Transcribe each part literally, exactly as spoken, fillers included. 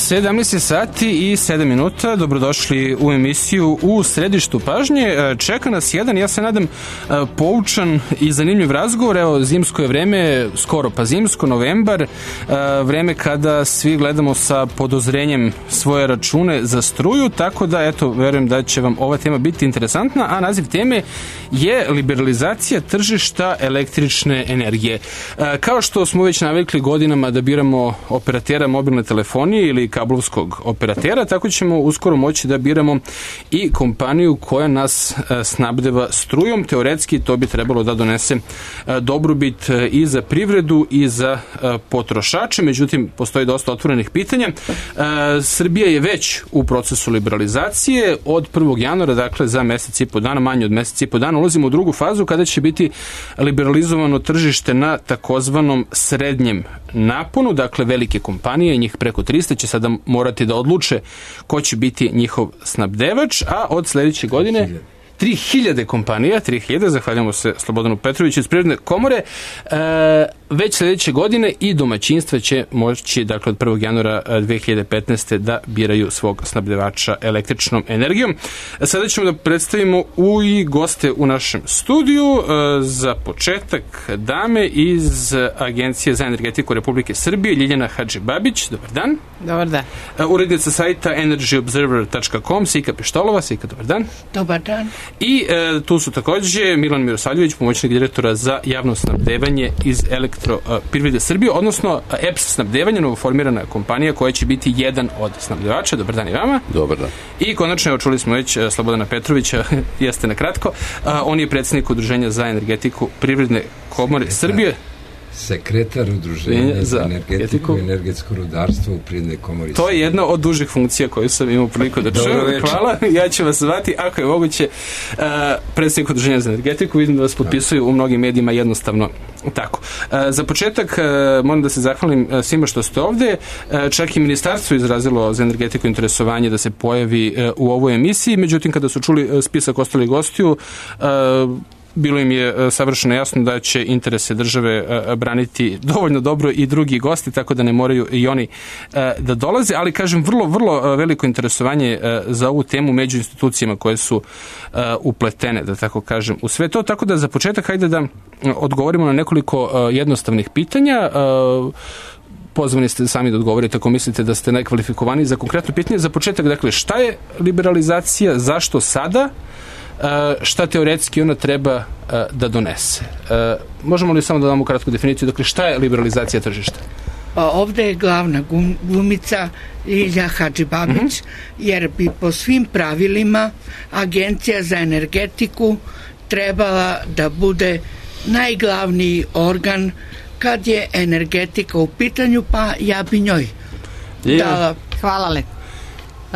sedamnaest sati i sedam minuta, dobrodošli u emisiju U središtu pažnje. Čeka nas jedan, ja se nadam, poučan i zanimljiv razgovor. Evo, zimsko je vreme, skoro pa zimsko, novembar, vreme kada svi gledamo sa podozrenjem svoje račune za struju, tako da, eto, verujem da će vam ova tema biti interesantna, a naziv teme je liberalizacija tržišta električne energije. Kao što smo već navikli godinama da biramo operatera mobilne telefonije ili kablovskog operatera, tako ćemo uskoro moći da biramo i kompaniju koja nas snabdeva strujom. Teoretski to bi trebalo da donese dobrobit i za privredu i za potrošače, međutim postoji dosta otvorenih pitanja. Srbija je već u procesu liberalizacije od prvog januara, dakle za mesec i po dana, manje od mesec i po dana, ulazimo u drugu fazu kada će biti liberalizovano tržište na takozvanom srednjem naponu, dakle velike kompanije, njih preko trista će sada morati da odluče ko će biti njihov snabdevač, a od sledeće godine tri hiljade kompanija, tri hiljade, zahvaljamo se Slobodanu Petroviću iz Privredne komore, e, već sledeće godine i domaćinstva će moći, dakle od prvog januara dve hiljade petnaeste da biraju svog snabdevača električnom energijom. Sada ćemo da predstavimo u i goste u našem studiju. E, za početak dame iz Agencije za energetiku Republike Srbije, Ljiljana Hadžibabić, dobar dan. Dobar dan. E, urednica sajta energy observer tačka com, Sika Pištolova. Sika, dobar dan. Dobar dan. I e, tu su takođe Milan Mirosavljević, pomoćnik direktora za javno snabdevanje iz Elektroprivrede Srbije, odnosno E P S snabdevanje, novoformirana kompanija koja će biti jedan od snabdevača. Dobar dan i vama. Dobar dan. I konačno, evo, čuli smo već Slobodana Petrovića, jeste na kratko, a, on je predsjednik Udruženja za energetiku Privredne komore Sekretar. Srbije. Sekretar Udruženja za energetiku i energetsko rudarstvo u Privrednoj komori. To je jedna od dužih funkcija koju sam imao priliku da čujem. Hvala, ja ću vas zvati, ako je moguće, uh, predsjednik Udruženja za energetiku, vidim da vas potpisuju u mnogim medijima jednostavno tako. Uh, za početak uh, moram da se zahvalim uh, svima što ste ovde. Uh, čak i ministarstvo izrazilo za energetiku interesovanje da se pojavi uh, u ovoj emisiji, međutim kada su čuli uh, spisak ostalih gostiju, uh, bilo im je savršeno jasno da će interese države braniti dovoljno dobro i drugi gosti, tako da ne moraju i oni da dolaze, ali kažem, vrlo, vrlo veliko interesovanje za ovu temu među institucijama koje su upletene, da tako kažem, u sve to, tako da za početak hajde da odgovorimo na nekoliko jednostavnih pitanja. Pozvani ste sami da odgovorite ako mislite da ste najkvalifikovaniji za konkretno pitanje. Za početak, dakle, šta je liberalizacija, zašto sada? Šta teoretski ona treba da donese? Možemo li samo da damo kratku definiciju? Dakle, šta je liberalizacija tržišta? Ovde je glavna glumica Ljiljana Hadžibabić, mm-hmm. jer bi po svim pravilima Agencija za energetiku trebala da bude najglavniji organ kad je energetika u pitanju, pa ja bi njoj dala. Hvala lepo. Uh,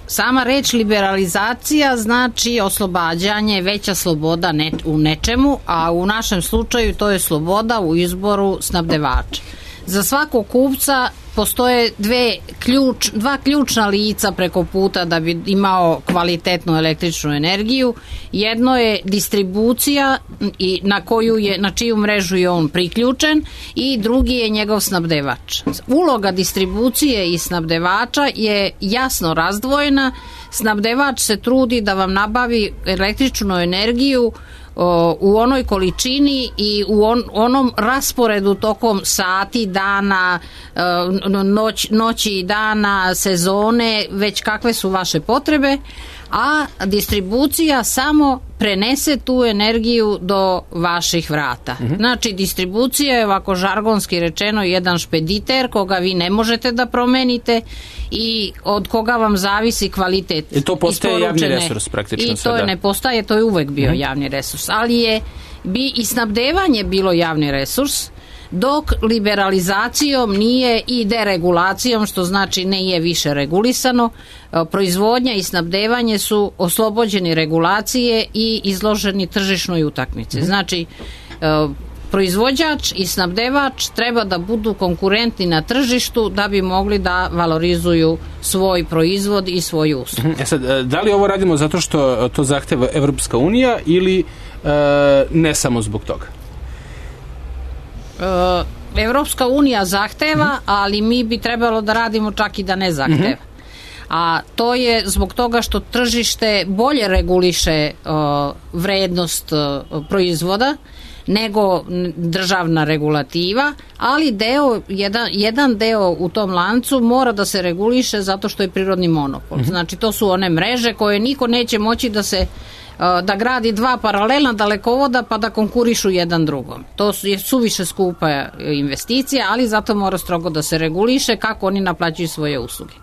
sama reč liberalizacija znači oslobađanje, veća sloboda ne, u nečemu, a u našem slučaju to je sloboda u izboru snabdevača. Za svakog kupca postoje dve ključ, dva ključna lica preko puta da bi imao kvalitetnu električnu energiju. Jedno je distribucija i na koju je, na čiju mrežu je on priključen, i drugi je njegov snabdevač. Uloga distribucije i snabdevača je jasno razdvojena. Snabdevač se trudi da vam nabavi električnu energiju u onoj količini i u on, onom rasporedu tokom sati, dana, noć, noći i dana, sezone, već kakve su vaše potrebe, a distribucija samo prenese tu energiju do vaših vrata. Mm-hmm. Znači, distribucija je, ovako žargonski rečeno, jedan špediter koga vi ne možete da promenite i od koga vam zavisi kvalitet. I to postaje javni resurs praktično. I to je, ne postaje, to je uvek bio mm-hmm. javni resurs, ali je bi i snabdevanje bilo javni resurs, dok liberalizacijom nije i deregulacijom, što znači ne je više regulisano. Proizvodnja i snabdevanje su oslobođeni regulacije i izloženi tržišnoj utakmici. Znači, proizvođač i snabdevač treba da budu konkurentni na tržištu da bi mogli da valorizuju svoj proizvod i svoju uslugu. E sad, da li ovo radimo zato što to zahteva Evropska unija ili e, ne samo zbog toga? E, Evropska unija zahteva, ali mi bi trebalo da radimo čak i da ne zahteva. Mm-hmm. A to je zbog toga što tržište bolje reguliše uh, vrednost uh, proizvoda nego državna regulativa, ali deo, jedan, jedan deo u tom lancu mora da se reguliše zato što je prirodni monopol. Mm-hmm. Znači to su one mreže koje niko neće moći da se da gradi dva paralelna dalekovoda pa da konkurišu jedan drugom. To je suviše skupa investicija, ali zato mora strogo da se reguliše kako oni naplaćuju svoje usluge.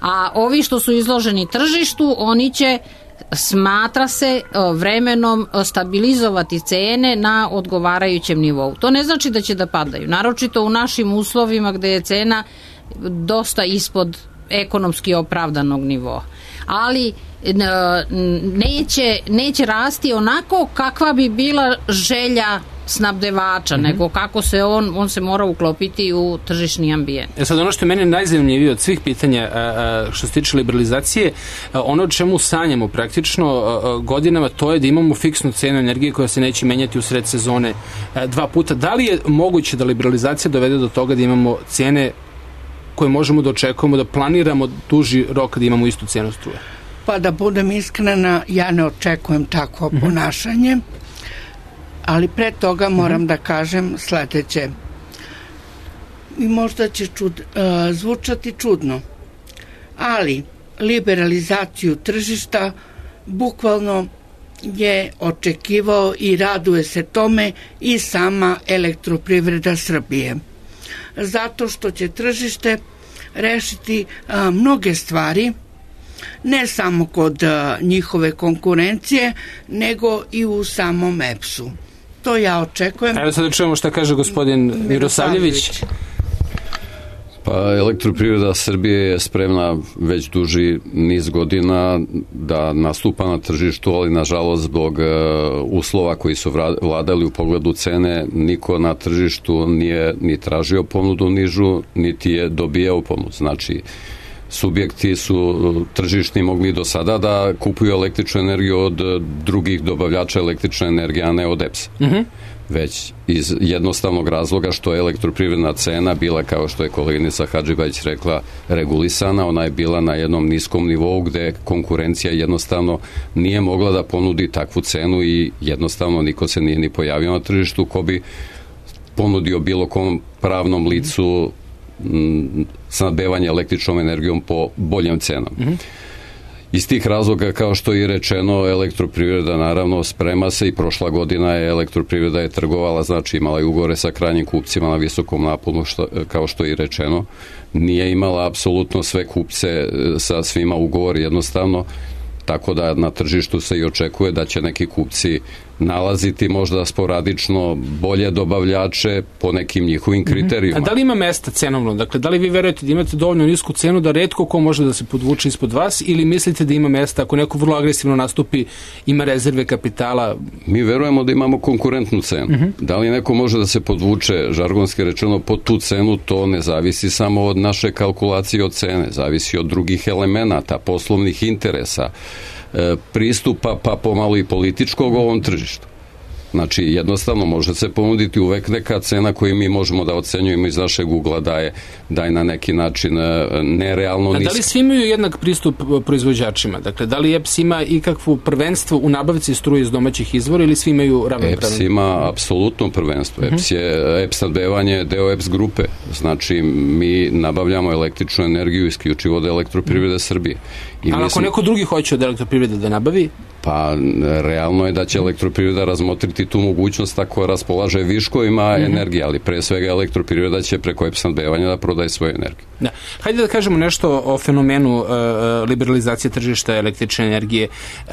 A ovi što su izloženi tržištu, oni će, smatra se, vremenom stabilizovati cene na odgovarajućem nivou. To ne znači da će da padaju. Naročito u našim uslovima gde je cena dosta ispod ekonomski opravdanog nivoa. Ali neće, neće rasti onako kakva bi bila želja snabdevača, mm-hmm. nego kako se on, on se mora uklopiti u tržišni ambijent. E sad, ono što je meni najzanimljivije od svih pitanja a, a, što se tiče liberalizacije, a, ono o čemu sanjamo praktično a, a, godinama, to je da imamo fiksnu cenu energije koja se neće menjati u sred sezone a, dva puta. Da li je moguće da liberalizacija dovede do toga da imamo cene koje možemo da očekujemo, da planiramo duži rok da imamo istu cenu struje? Pa da budem iskrena, ja ne očekujem takvo mm-hmm. ponašanje, ali pre toga moram mm-hmm. da kažem sledeće. I možda će čud, uh, zvučati čudno, ali liberalizaciju tržišta bukvalno je očekivao i raduje se tome i sama Elektroprivreda Srbije. Zato što će tržište rešiti a, mnoge stvari, ne samo kod a, njihove konkurencije, nego i u samom E P S-u. To ja očekujem. Evo sad da čujemo šta kaže gospodin Mirosavljević. Pa Elektroprivreda Srbije je spremna već duži niz godina da nastupa na tržištu, ali nažalost zbog uslova koji su vladali u pogledu cene, niko na tržištu nije ni tražio ponudu nižu, niti je dobijao ponudu. Znači, subjekti su tržišni mogli do sada da kupuju električnu energiju od drugih dobavljača električne energije, a ne od E P S-a. Mm-hmm. Već iz jednostavnog razloga što je elektroprivredna cena bila, kao što je koleginica Hadžibajić rekla, regulisana, ona je bila na jednom niskom nivou gde konkurencija jednostavno nije mogla da ponudi takvu cenu i jednostavno niko se nije ni pojavio na tržištu ko bi ponudio bilo kom pravnom licu m, snabdevanje električnom energijom po boljem cenama. Mm-hmm. Iz tih razloga, kao što je rečeno, Elektroprivreda naravno sprema se i prošla godina je Elektroprivreda je trgovala, znači imala je ugovore sa krajnjim kupcima na visokom naponu, što, kao što je rečeno. Nije imala apsolutno sve kupce sa svima ugovor jednostavno, tako da na tržištu se i očekuje da će neki kupci nalaziti možda sporadično bolje dobavljače po nekim njihovim kriterijima. A da li ima mesta cenovno? Dakle, da li vi verujete da imate dovoljno nisku cenu da retko ko može da se podvuče ispod vas ili mislite da ima mesta ako neko vrlo agresivno nastupi, ima rezerve kapitala? Mi verujemo da imamo konkurentnu cenu. Uh-huh. Da li neko može da se podvuče, žargonski rečeno, pod tu cenu, to ne zavisi samo od naše kalkulacije od cene, zavisi od drugih elemenata, poslovnih interesa, pristupa pa pomalo i političkog ovom tržištu. Znači, jednostavno može se ponuditi uvek neka cena koju mi možemo da ocenjujemo iz našeg ugla da je, da je na neki način nerealno niska. A da li svi imaju jednak pristup proizvođačima? Dakle, da li E P S ima ikakvo prvenstvo u nabavci struje iz domaćih izvora ili svi imaju ravnopravno? E P S ima apsolutno prvenstvo. Uh-huh. E P S je, E P S snabdevanje je deo E P S grupe. Znači, mi nabavljamo električnu energiju isključivo od Elektroprivrede Srbije. I ali ako neko drugi hoće od Elektroprivrede da nabavi? Pa, realno je da će Elektroprivreda razmotriti tu mogućnost ako raspolaže viškovima mm-hmm. energije, ali pre svega Elektroprivreda će preko E P S snabdevanja da prodaje svoju energiju. Da. Hajde da kažemo nešto o fenomenu uh, liberalizacije tržišta električne energije. Uh,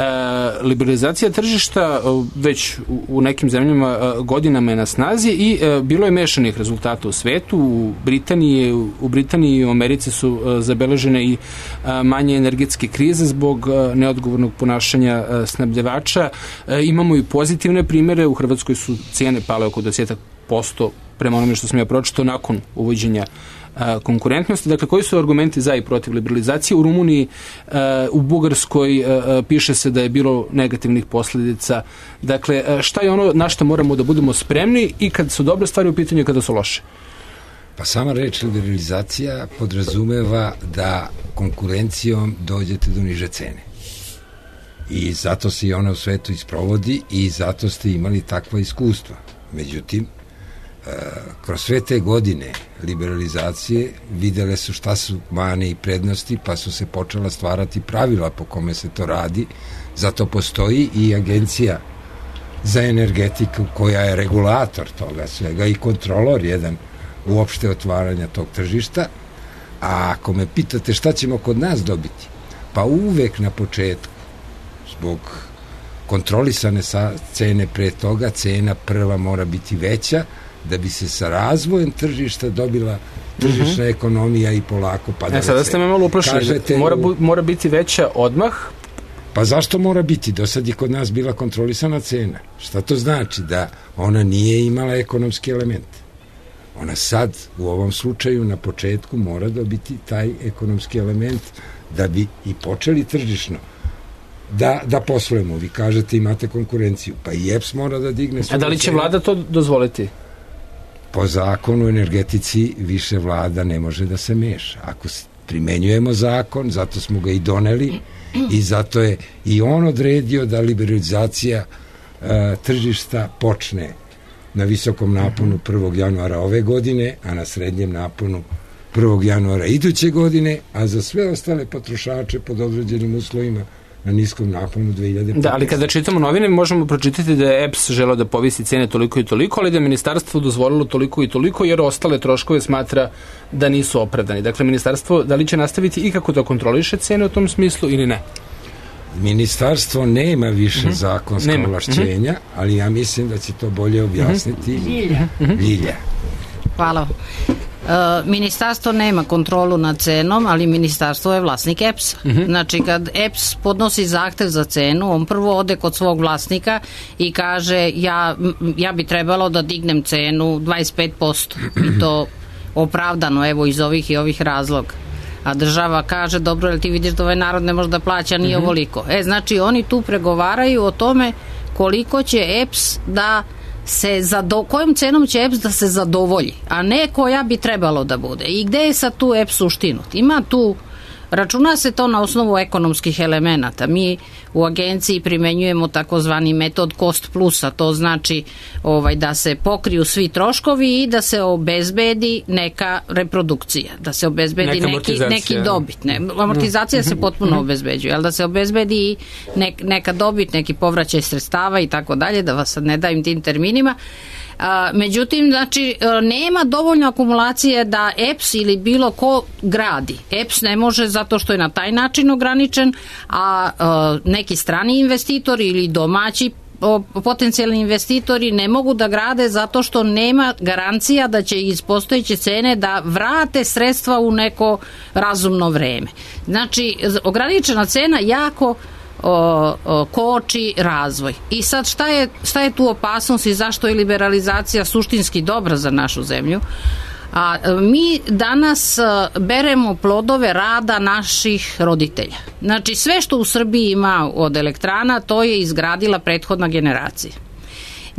liberalizacija tržišta uh, već u, u nekim zemljama uh, godinama je na snazi i uh, bilo je mešanih rezultata u svetu. U Britaniji, u Britaniji i u Americi su uh, zabeležene i uh, manje energetske krize zbog uh, neodgovornog ponašanja uh, snabdevača. Uh, imamo i pozitivne primere. U Hrvatskoj su cijene pale oko deset posto prema onome što sam ja pročitao nakon uvođenja a, konkurentnosti. Dakle, koji su argumenti za i protiv liberalizacije? U Rumuniji, a, u Bugarskoj a, a, piše se da je bilo negativnih posledica. Dakle, a, šta je ono na što moramo da budemo spremni i kad su dobre stvari u pitanju i kada su loše? Pa sama reč liberalizacija podrazumeva da konkurencijom dođete do niže cene. I zato se i ona u svetu isprovodi i zato ste imali takva iskustva. Međutim, kroz sve te godine liberalizacije videle su šta su mane i prednosti, pa su se počela stvarati pravila po kome se to radi. Zato postoji i agencija za energetiku koja je regulator toga svega i kontrolor jedan uopšte otvaranja tog tržišta. A ako me pitate šta ćemo kod nas dobiti, pa uvek na početku zbog kontrolisane cene pre toga, cena prva mora biti veća da bi se sa razvojem tržišta dobila tržišna mm-hmm. ekonomija i polako padala. E, sada ste me malo uplašili. Kažete, mora, mora biti veća odmah? Pa zašto mora biti? Do sad je kod nas bila kontrolisana cena. Šta to znači? Da ona nije imala ekonomski element. Ona sad, u ovom slučaju, na početku mora dobiti taj ekonomski element da bi i počeli tržišno da, da poslujemo. Vi kažete imate konkurenciju, pa i E P S mora da digne svoje. A da li će vlada to dozvoliti? Po zakonu o energetici više vlada ne može da se meša. Ako primenjujemo zakon, zato smo ga i doneli i zato je i on odredio da liberalizacija uh, tržišta počne na visokom naponu prvog januara ove godine, a na srednjem naponu prvog januara iduće godine, a za sve ostale potrošače pod određenim uslovima na niskom naponu dve hiljade petnaeste. Da, ali kada čitamo novine možemo pročitati da je E P S želeo da povisi cene toliko i toliko, ali da je ministarstvo dozvolilo toliko i toliko jer ostale troškove smatra da nisu opravdani. Dakle, ministarstvo da li će nastaviti i kako da kontroliše cene u tom smislu ili ne? Ministarstvo nema više mm-hmm. zakonska nema. ovlašćenja, mm-hmm. ali ja mislim da će to bolje objasniti mm-hmm. Ljilja. Ljilja. Hvala. E, ministarstvo nema kontrolu nad cenom, ali ministarstvo je vlasnik E P S-a. Mm-hmm. Znači, kad E P S podnosi zahtev za cenu, on prvo ode kod svog vlasnika i kaže ja, ja bi trebalo da dignem cenu dvadeset pet posto i to opravdano, evo, iz ovih i ovih razloga. A država kaže, dobro, jel ti vidiš da ovaj narod ne može da plaća nije mm-hmm. ovoliko. E, znači, oni tu pregovaraju o tome koliko će E P S da se zado, kojom cenom će E P S da se zadovolji, a ne koja bi trebalo da bude. I gde je sad tu E P S uštinut? Ima tu, računa se to na osnovu ekonomskih elemenata. Mi u agenciji primenjujemo takozvani metod cost plusa, to znači ovaj, da se pokriju svi troškovi i da se obezbedi neka reprodukcija, da se obezbedi neki, neki dobit. Ne, amortizacija se potpuno obezbeđuje, ali da se obezbedi nek, neka dobit, neki povraćaj sredstava i tako dalje, da vas sad ne dajem tim terminima. A, međutim, znači, nema dovoljno akumulacije da E P S ili bilo ko gradi. E P S ne može zato što je na taj način ograničen, a, a neki strani investitori ili domaći o, potencijalni investitori ne mogu da grade zato što nema garancija da će iz postojeće cene da vrate sredstva u neko razumno vreme. Znači, ograničena cena jako O, o, koči razvoj. I sad šta je, šta je tu opasnost i zašto je liberalizacija suštinski dobra za našu zemlju? A mi danas beremo plodove rada naših roditelja. Znači sve što u Srbiji ima od elektrana, to je izgradila prethodna generacija.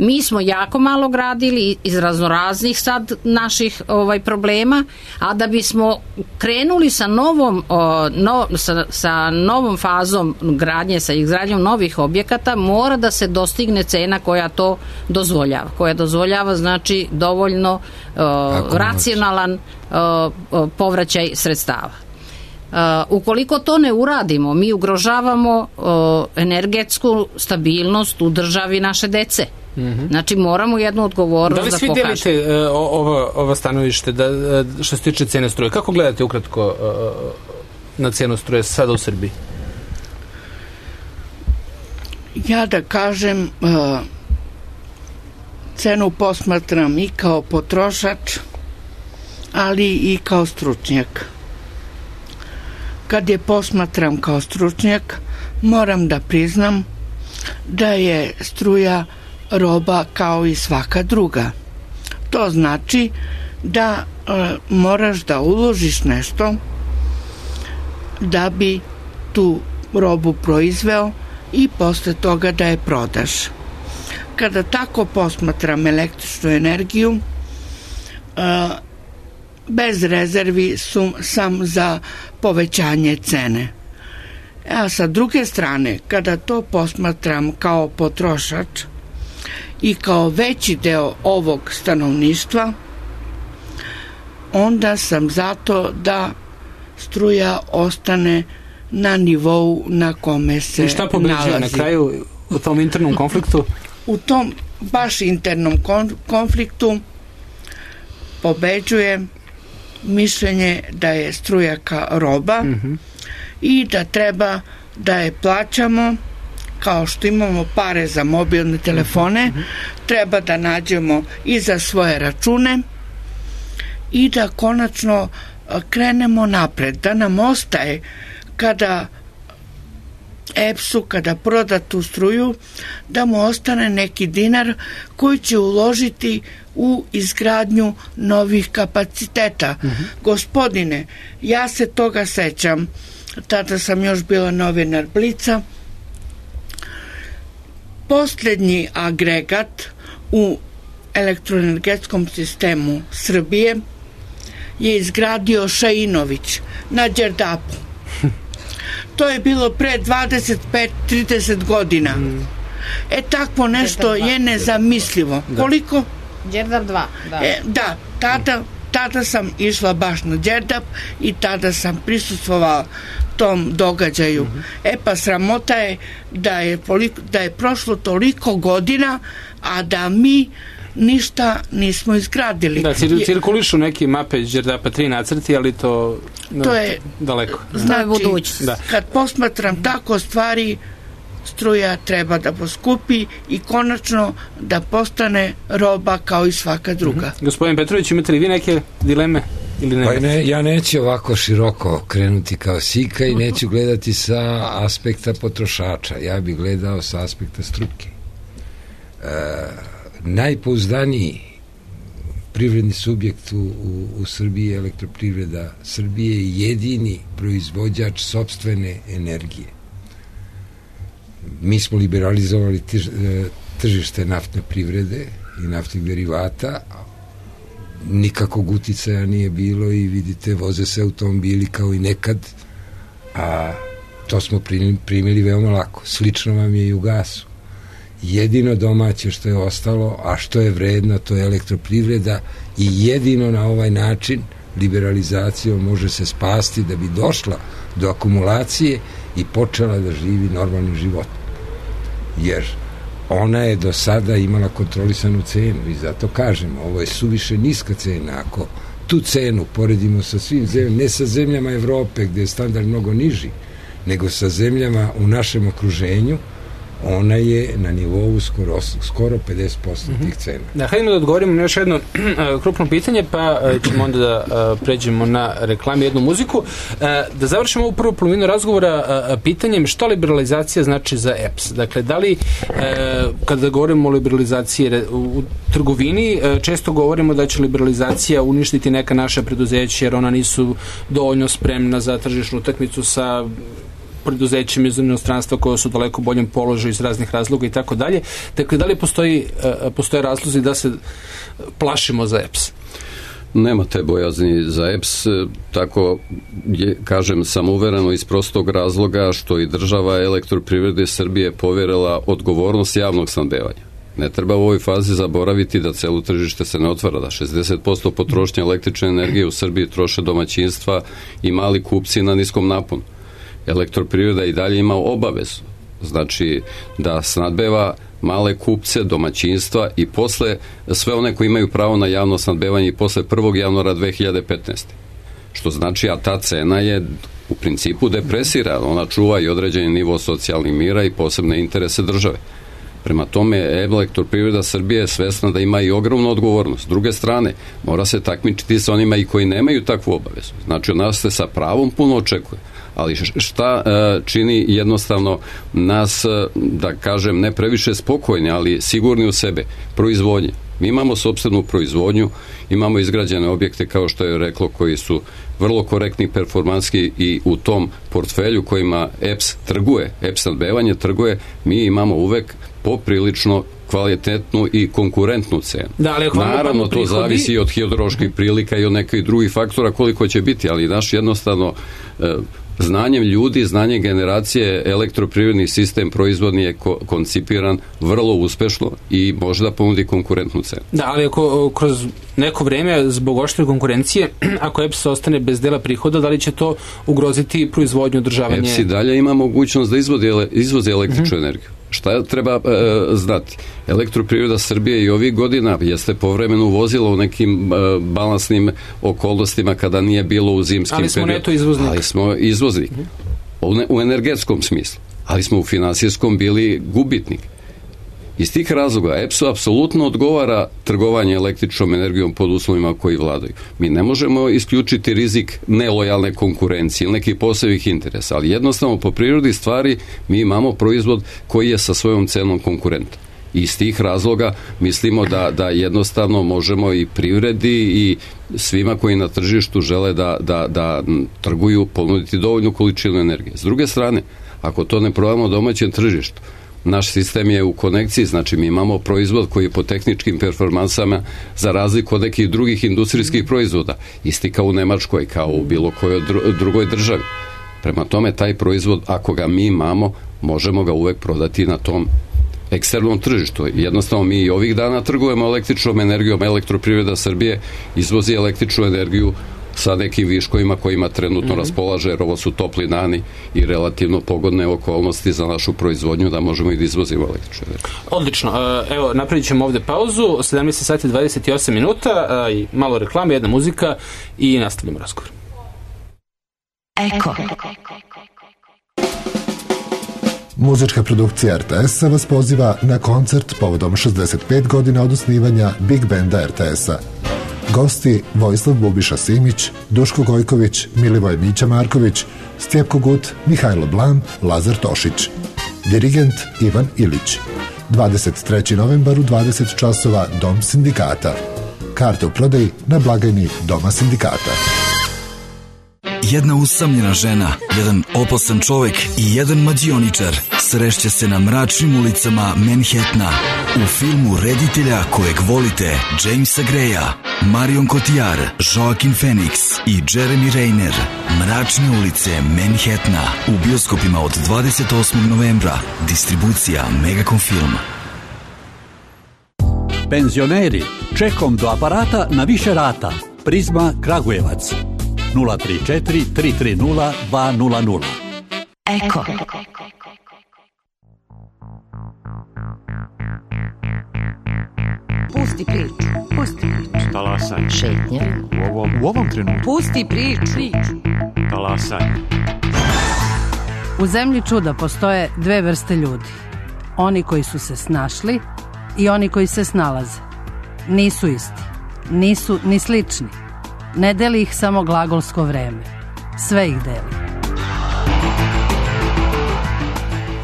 Mi smo jako malo gradili iz raznoraznih sad naših ovaj problema, a da bismo krenuli sa novom o, no, sa, sa novom fazom gradnje, sa izgradnjom novih objekata, mora da se dostigne cena koja to dozvoljava. Koja dozvoljava znači dovoljno o, racionalan o, o, povraćaj sredstava. Uh, ukoliko to ne uradimo, mi ugrožavamo uh, energetsku stabilnost u državi naše dece. Mm-hmm. Znači moramo jednu odgovornost da pokažemo. Da li svi delite uh, ovo, ovo stanovište da, uh, što se tiče cene struje? Kako gledate ukratko uh, na cenu struje sada u Srbiji? Ja da kažem uh, cenu posmatram i kao potrošač, ali i kao stručnjak. Kad je posmatram kao stručnjak, moram da priznam da je struja roba kao i svaka druga. To znači da e, moraš da uložiš nešto da bi tu robu proizveo i posle toga da je prodaš. Kada tako posmatram električnu energiju, e, bez rezervi su, sam za povećanje cene. A sa druge strane, kada to posmatram kao potrošač i kao veći deo ovog stanovništva, onda sam zato da struja ostane na nivou na kome se nalazi. I šta pobeđuje na kraju u tom internom konfliktu? U tom baš internom konfliktu pobeđuje mišljenje da je struja kao roba mm-hmm. i da treba da je plaćamo kao što imamo pare za mobilne telefone, mm-hmm. treba da nađemo i za svoje račune i da konačno krenemo napred, da nam ostaje kada E P S-u, kada proda tu struju, da mu ostane neki dinar koji će uložiti u izgradnju novih kapaciteta. Mm-hmm. Gospodine, ja se toga sećam, tada sam još bila novinar Blica, posljednji agregat u elektroenergetskom sistemu Srbije je izgradio Šainović na Đerdapu. To je bilo pre dvadeset pet trideset godina. Mm. E takvo nešto je nezamislivo. Da. Koliko? Đerdap dva. Da, e, da tada, tada sam išla baš na Đerdap i tada sam prisustvovala tom događaju. Mm-hmm. E pa sramota je da je, da je prošlo toliko godina, a da mi ništa nismo izgradili. Da, cir- cirkulišu neki mape Đerdapa tri nacrti, ali to, no, to je daleko. Znači, da. Kad posmatram tako stvari, struja treba da poskupi i konačno da postane roba kao i svaka druga. Mm-hmm. Gospodin Petrović, imate li vi neke dileme? Ili ne? Pa ne, ja neću ovako široko krenuti kao Sika i neću gledati sa aspekta potrošača. Ja bih gledao sa aspekta struke. E, najpouzdaniji privredni subjekt u, u, u Srbiji, Elektroprivreda Srbije, je jedini proizvođač sopstvene energije. Mi smo liberalizovali tž, tržište naftne privrede i naftnih derivata, nikakvog uticaja nije bilo i vidite, voze se automobili kao i nekad, a to smo primili, primili veoma lako. Slično vam je i u gasu. Jedino domaće što je ostalo, a što je vredno, to je elektroprivreda i jedino na ovaj način liberalizacijom može se spasti da bi došla do akumulacije i počela da živi normalnim životom. Jer ona je do sada imala kontrolisanu cenu i zato kažemo, ovo je suviše niska cena. Ako tu cenu poredimo sa svim zemljama, ne sa zemljama Evrope gde je standard mnogo niži, nego sa zemljama u našem okruženju, ona je na nivou skoro, skoro pedeset posto mm-hmm. tih cena. Da, hajdemo da odgovorimo na još jedno uh, krupno pitanje, pa uh, ćemo onda da uh, pređemo na reklame, jednu muziku. Uh, da završimo ovu prvu polovinu razgovora uh, pitanjem šta liberalizacija znači za E P S. Dakle, da li, uh, kada govorimo o liberalizaciji u, u trgovini, uh, često govorimo da će liberalizacija uništiti neka naša preduzeća jer ona nisu dovoljno spremna za tržišnu utakmicu sa preduzećima iz inostranstva koja su daleko boljem položaju iz raznih razloga i tako dalje. Dakle, da li postoji, postoje razlozi da se plašimo za E P S? Nema te bojazni za E P S, tako je, kažem, samouvereno iz prostog razloga što i država Elektroprivrede Srbije povjerila odgovornost javnog snabdevanja. Ne treba u ovoj fazi zaboraviti da celo tržište se ne otvara, da šezdeset posto potrošnje električne energije u Srbiji troše domaćinstva i mali kupci na niskom naponu. Elektroprivreda i dalje ima obavezu, znači da snadbeva male kupce, domaćinstva i posle sve one koji imaju pravo na javno snadbevanje i posle prvog januara dve hiljade petnaeste. Što znači, a ta cena je u principu depresira, ona čuva i određeni nivo socijalnih mira i posebne interese države. Prema tome, Elektroprivreda Srbije je svesna da ima i ogromnu odgovornost. S druge strane, mora se takmičiti sa onima i koji nemaju takvu obavezu. Znači, od nas se sa pravom puno očekuje. Ali šta čini jednostavno nas, da kažem, ne previše spokojni, ali sigurni u sebe? Proizvodnje. Mi imamo sopstvenu proizvodnju, imamo izgrađene objekte, kao što je reklo, koji su vrlo korektni, performanski i u tom portfelju kojima E P S trguje, E P S snabdevanje trguje, mi imamo uvek poprilično kvalitetnu i konkurentnu cenu. Da, ali naravno, to prihodi... zavisi i od hidroloških prilika i od nekih drugih faktora koliko će biti, ali naš jednostavno e, znanjem ljudi, znanjem generacije, elektroprivredni sistem proizvodni je ko- koncipiran vrlo uspešno i može da ponudi konkurentnu cenu. Da, ali ako kroz neko vreme zbog oštre konkurencije, ako E P S ostane bez dela prihoda, da li će to ugroziti proizvodnju, održavanje? E P S i dalje ima mogućnost da izvodi, izvozi električnu uh-huh. energiju. Šta treba e, znati? Elektroprivreda Srbije i ovih godina jeste povremeno uvozila u nekim e, balansnim okolnostima kada nije bilo u zimskim ali smo periodu. Neto izvoznik. Ali smo izvoznik. U, ne, u energetskom smislu. Ali smo u finansijskom bili gubitnik. Iz tih razloga E P S-u apsolutno odgovara trgovanje električnom energijom pod uslovima koji vladaju. Mi ne možemo isključiti rizik nelojalne konkurencije ili nekih posebnih interesa, ali jednostavno po prirodi stvari mi imamo proizvod koji je sa svojom cenom konkurentan. I iz tih razloga mislimo da, da jednostavno možemo i privredi i svima koji na tržištu žele da, da, da trguju ponuditi dovoljnu količinu energije. S druge strane, ako to ne prodamo domaćem tržištu, naš sistem je u konekciji, znači mi imamo proizvod koji je po tehničkim performansama za razliku od nekih drugih industrijskih proizvoda, isti kao u Nemačkoj, kao u bilo kojoj drugoj državi. Prema tome, taj proizvod, ako ga mi imamo, možemo ga uvek prodati na tom eksternom tržištu. Jednostavno, mi i ovih dana trgujemo električnom energijom, Elektroprivreda Srbije izvozi električnu energiju sa nekim viškovima kojima trenutno mm-hmm. raspolaže, jer ovo su topli dani i relativno pogodne okolnosti za našu proizvodnju da možemo i da izvozimo električnu energiju. Odlično. Evo, napravit ćemo ovde pauzu, sedamnaest sati i dvadeset osam minuta, i malo reklame, jedna muzika i nastavljamo razgovor. Eko. Muzička produkcija R T S-a vas poziva na koncert povodom šezdeset pet godina od osnivanja Big Banda R T S-a. Gosti Vojislav Bubiša Simić, Duško Gojković, Milivoj Mića Marković, Stjepko Gut, Mihajlo Blam, Lazar Tošić. Dirigent Ivan Ilić. dvadeset trećeg novembar u dvadeset časova Dom sindikata. Karte u prodaji na blagajni Doma sindikata. Jedna usamljena žena, jedan opasan čovek i jedan mađioničar srešće se na mračnim ulicama Manhattana u filmu reditelja kojeg volite Jamesa Greya, Marion Cotillard, Joaquin Phoenix i Jeremy Renner. Mračne ulice Manhattana u bioskopima od dvadeset osmog novembra. Distribucija Megacom Film. Penzioneri, čekom do aparata na više rata. Prizma Kragujevac. nula tri četiri tri tri nula dva nula nula. Eko. Pusti priču. Pusti priču. Talasaj. Šetnja. U ovom, u ovom trenutku. Pusti priču. Talasaj. U zemlji čuda postoje dve vrste ljudi. Oni koji su se snašli i oni koji se snalaze. Nisu isti. Nisu ni slični. Ne deli ih samo glagolsko vreme. Sve ih deli.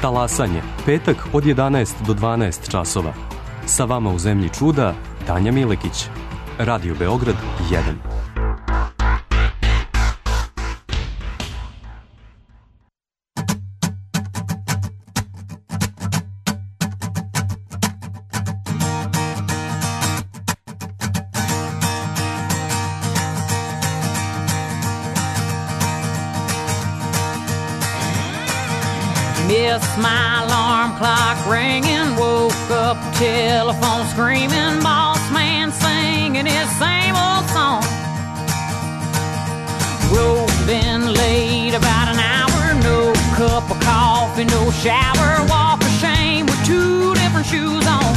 Talasanje. Petak od jedanaest do dvanaest časova. Sa vama u zemlji čuda Tanja Milekić. Radio Beograd jedan. Missed my alarm clock ringing, woke up, telephone screaming, boss man singing his same old song. Road been late about an hour, no cup of coffee, no shower, walk of shame with two different shoes on.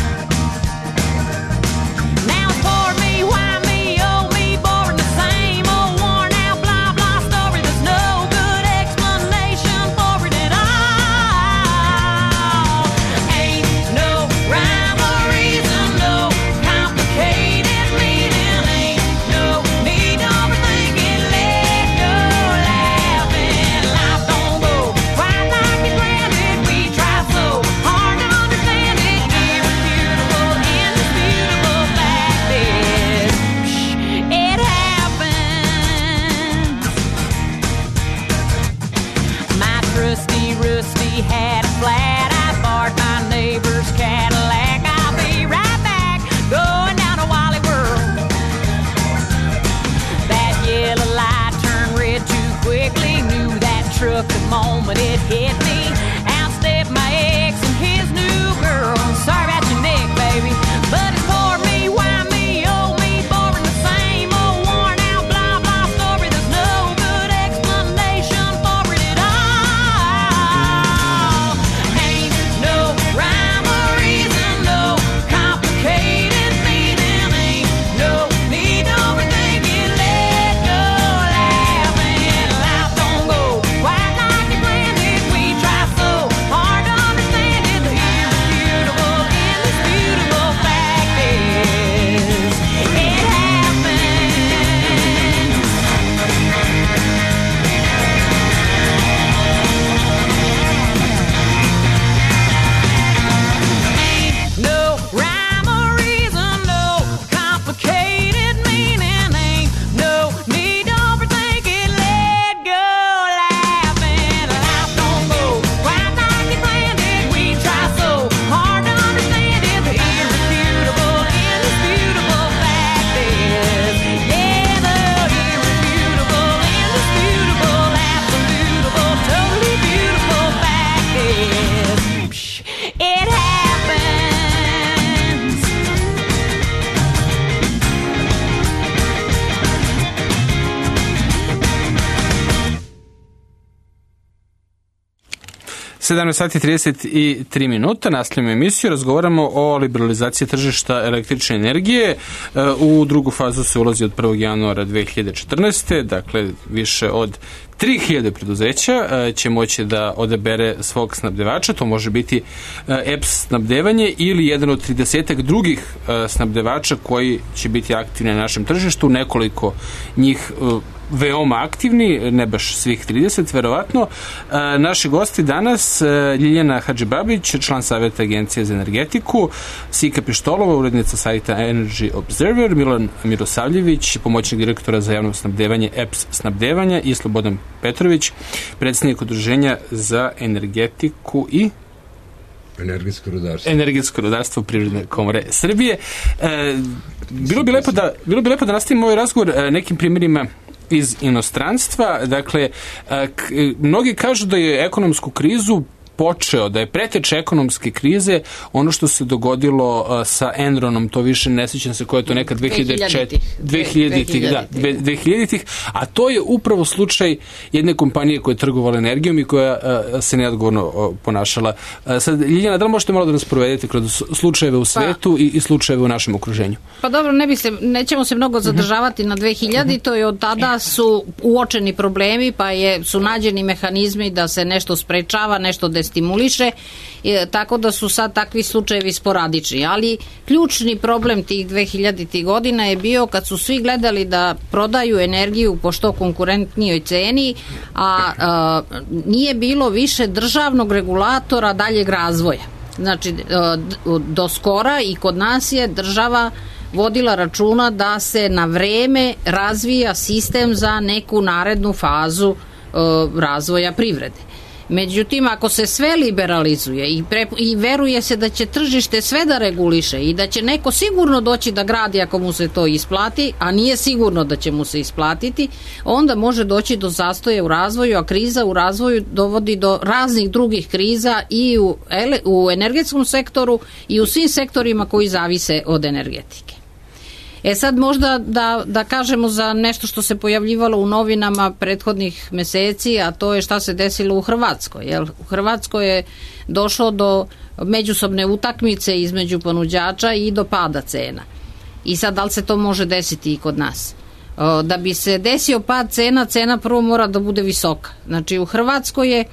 Now it's for me, why me, oh me, boring the same old worn out blah blah story. There's no good explanation for it at all. Try so sedamnaest sati trideset tri minuta, nastavljamo emisiju, razgovaramo o liberalizaciji tržišta električne energije. U drugu fazu se ulazi od prvog januara dve hiljade četrnaeste. Dakle, više od tri hiljade preduzeća će moći da odabere svog snabdevača, to može biti E P S snabdevanje ili jedan od tridesetak drugih snabdevača koji će biti aktivni na našem tržištu, nekoliko njih veoma aktivni, ne baš svih trideset, verovatno. Naši gosti danas, Ljiljana Hadžibabić, član Saveta Agencije za energetiku, Sika Pištolova, urednica sajta Energy Observer, Milan Mirosavljević, pomoćnik direktora za javno snabdevanje E P S snabdevanja i Slobodan Petrović, predsjednik Udruženja za energetiku i Energetsko rudarstvo. Energetsko rudarstvo Privredne komore Srbije. E, bilo bi lepo da, bilo bi lepo da nastavimo ovaj razgovor nekim primjerima iz inostranstva. Dakle, k, mnogi kažu da je ekonomsku krizu počeo, da je preteč ekonomske krize ono što se dogodilo uh, sa Enronom, to više ne sjećam se koje je to neka dve hiljade četiri. dve hiljaditih, da, dve hiljaditih, a to je upravo slučaj jedne kompanije koja je trgovala energijom i koja uh, se neodgovorno uh, ponašala. Uh, sad, Ljiljana, da li možete malo da nas provedete kroz slučajeve u svetu pa, i, i slučajeve u našem okruženju? Pa dobro, ne bi se, nećemo se mnogo zadržavati uh-huh. na dve hiljade, uh-huh. to je od tada su uočeni problemi, pa je, su nađeni mehanizmi da se nešto sprečava, nešto stimuliše, e, tako da su sad takvi slučajevi sporadični, ali ključni problem tih dve hiljaditih godina je bio kad su svi gledali da prodaju energiju po što konkurentnijoj ceni, a, a nije bilo više državnog regulatora daljeg razvoja. Znači, do skora i kod nas je država vodila računa da se na vreme razvija sistem za neku narednu fazu razvoja privrede. Međutim, ako se sve liberalizuje i, pre, i veruje se da će tržište sve da reguliše i da će neko sigurno doći da gradi ako mu se to isplati, a nije sigurno da će mu se isplatiti, onda može doći do zastoja u razvoju, a kriza u razvoju dovodi do raznih drugih kriza i u, ele, u energetskom sektoru i u svim sektorima koji zavise od energetike. E sad možda da, da kažemo za nešto što se pojavljivalo u novinama prethodnih meseci, a to je šta se desilo u Hrvatskoj. Jel? U Hrvatskoj je došlo do međusobne utakmice između ponuđača i do pada cena. I sad da li se to može desiti i kod nas? Da bi se desio pad cena, cena prvo mora da bude visoka. Znači u Hrvatskoj je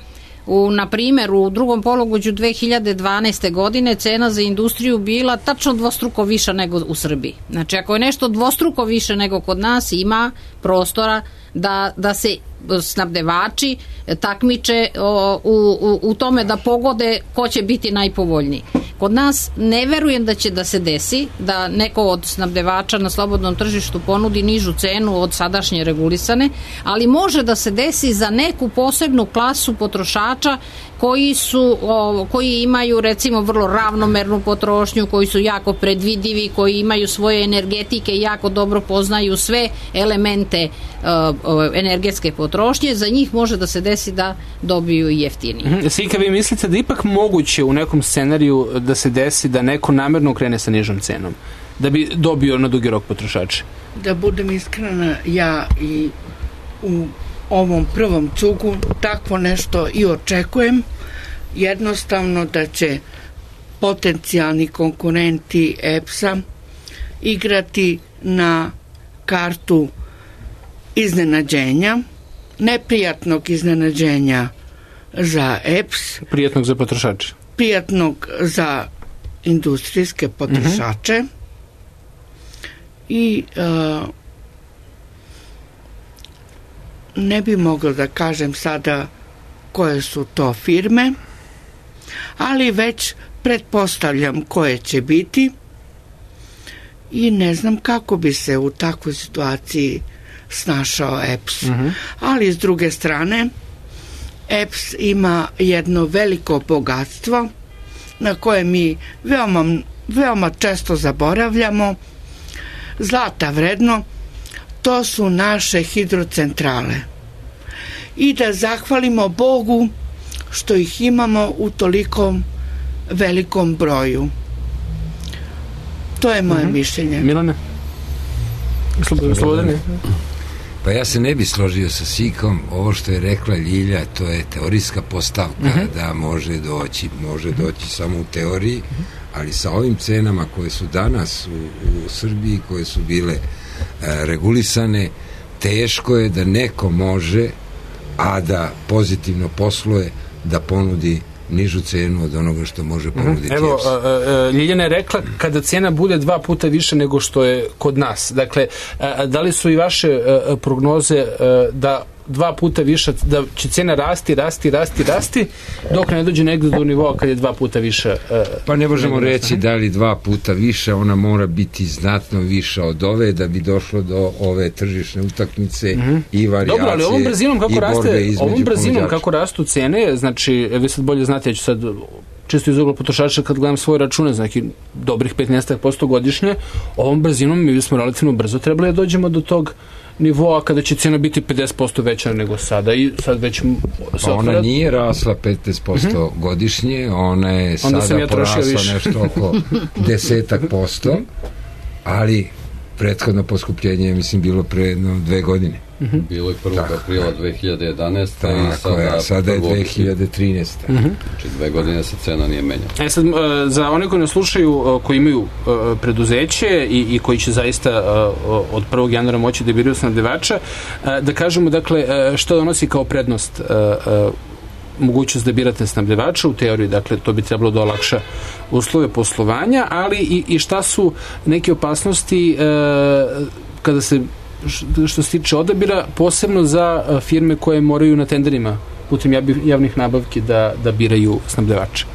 U, na primjer, u drugom polugođu dve hiljade dvanaeste. godine cena za industriju bila tačno dvostruko viša nego u Srbiji. Znači, ako je nešto dvostruko više nego kod nas, ima prostora da, da se snabdevači takmiče o, u, u, u tome da pogode ko će biti najpovoljniji. Kod nas ne verujem da će da se desi da neko od snabdevača na slobodnom tržištu ponudi nižu cenu od sadašnje regulisane, ali može da se desi za neku posebnu klasu potrošača koji su o, koji imaju recimo vrlo ravnomernu potrošnju, koji su jako predvidivi, koji imaju svoje energetike i jako dobro poznaju sve elemente o, o, energetske potrošnje, za njih može da se desi da dobiju i jeftinije. Mm-hmm. Sika, vi mislite da ipak moguće u nekom scenariju da se desi da neko namerno krene sa nižom cenom, da bi dobio na dugi rok potrošače? Da budem iskrena, ja i u ovom prvom cugu takvo nešto i očekujem, jednostavno da će potencijalni konkurenti E P S-a igrati na kartu iznenađenja, neprijatnog iznenađenja za E P S, prijatnog za potrošače, prijatnog za industrijske potrošače, mm-hmm. i uh, ne bi mogla da kažem sada koje su to firme, ali već pretpostavljam koje će biti i ne znam kako bi se u takvoj situaciji snašao E P S. Mm-hmm. Ali s druge strane, E P S ima jedno veliko bogatstvo na koje mi veoma, veoma često zaboravljamo, zlata vredno, to su naše hidrocentrale. I da zahvalimo Bogu što ih imamo u tolikom velikom broju. To je moje mm-hmm. mišljenje. Milane? Slobodane? Pa ja se ne bi složio sa Sikom, ovo što je rekla Ljilja, to je teorijska postavka, uh-huh. da može doći, može doći samo u teoriji, ali sa ovim cenama koje su danas u, u Srbiji, koje su bile e, regulisane, teško je da neko može, a da pozitivno posluje, da ponudi nižu cenu od onoga što može ponuditi. Evo, Ljiljana je rekla kada cena bude dva puta više nego što je kod nas. Dakle, da li su i vaše prognoze da dva puta više, da će cena rasti, rasti, rasti, rasti, dok ne dođe negde do nivoa kad je dva puta više? Pa ne možemo reći da li dva puta više, ona mora biti znatno više od ove da bi došlo do ove tržišne utakmice mm-hmm. i varijacije. Dobro, ali ovom brzinom kako raste, ovom brzinom kako rastu cene, znači, vi sad bolje znate, ja ću sad čisto iz ugla potrošača kad gledam svoje račune, znači dobrih petnaest posto godišnje, ovom brzinom mi smo relativno brzo trebali da dođemo do tog nivoa kada će cena biti pedeset posto veća nego sada i sad već pa ona nije rasla petnaest posto mm-hmm. godišnje, ona je onda sada ja porasla nešto oko desetak posto, ali prethodno poskupljenje je mislim bilo pre jedno dve godine. Mm-hmm. Bilo je prvog aprila dve hiljade jedanaeste i sada, je, sada je dve hiljade trinaeste. Mm-hmm. Znači dve godine se cena nije menjala. E sad, za one koji nas slušaju, koji imaju preduzeće i, i koji će zaista od prvog januara moći da biraju snabdevača, da kažemo, dakle, što donosi kao prednost mogućnost da birate snabdevača u teoriji, dakle to bi trebalo da olakša uslove poslovanja, ali i, i šta su neke opasnosti kada se što se tiče odabira, posebno za firme koje moraju na tenderima putem javnih nabavki da, da biraju snabdevača?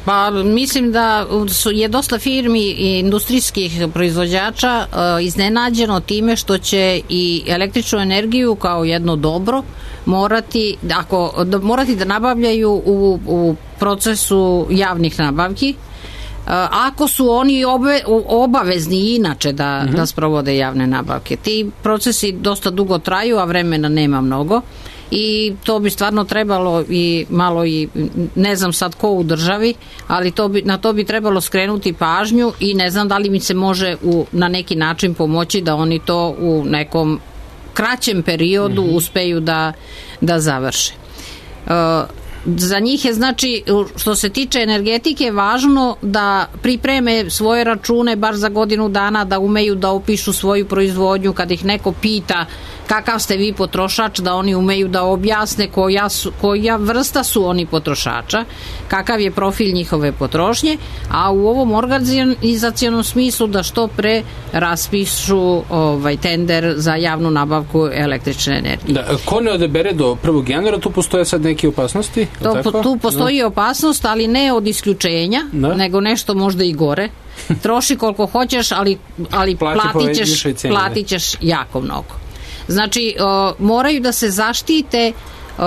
Pa mislim da su, je dosta firmi i industrijskih proizvođača iznenađeno time što će i električnu energiju kao jedno dobro morati, ako, da, morati da nabavljaju u, u procesu javnih nabavki, ako su oni obe, obavezni inače da, mm-hmm. da sprovode javne nabavke. Ti procesi dosta dugo traju, a vremena nema mnogo i to bi stvarno trebalo i malo i ne znam sad ko u državi, ali to bi, na to bi trebalo skrenuti pažnju i ne znam da li mi se može u, na neki način pomoći da oni to u nekom kraćem periodu mm-hmm. uspeju da, da završe. Uh, Za njih je, znači, što se tiče energetike, važno da pripreme svoje račune bar za godinu dana, da umeju da opišu svoju proizvodnju, kad ih neko pita kakav ste vi potrošač, da oni umeju da objasne koja, su, koja vrsta su oni potrošača, kakav je profil njihove potrošnje, a u ovom organizacionom smislu da što pre raspišu ovaj, tender za javnu nabavku električne energije. Da, ko ne odebere do prvog januara, tu postoje sad neke opasnosti? To, tu postoji no. opasnost, ali ne od isključenja, no. nego nešto možda i gore. Troši koliko hoćeš, ali, ali platit ćeš, platit ćeš jako mnogo. Znači, uh, moraju da se zaštite uh,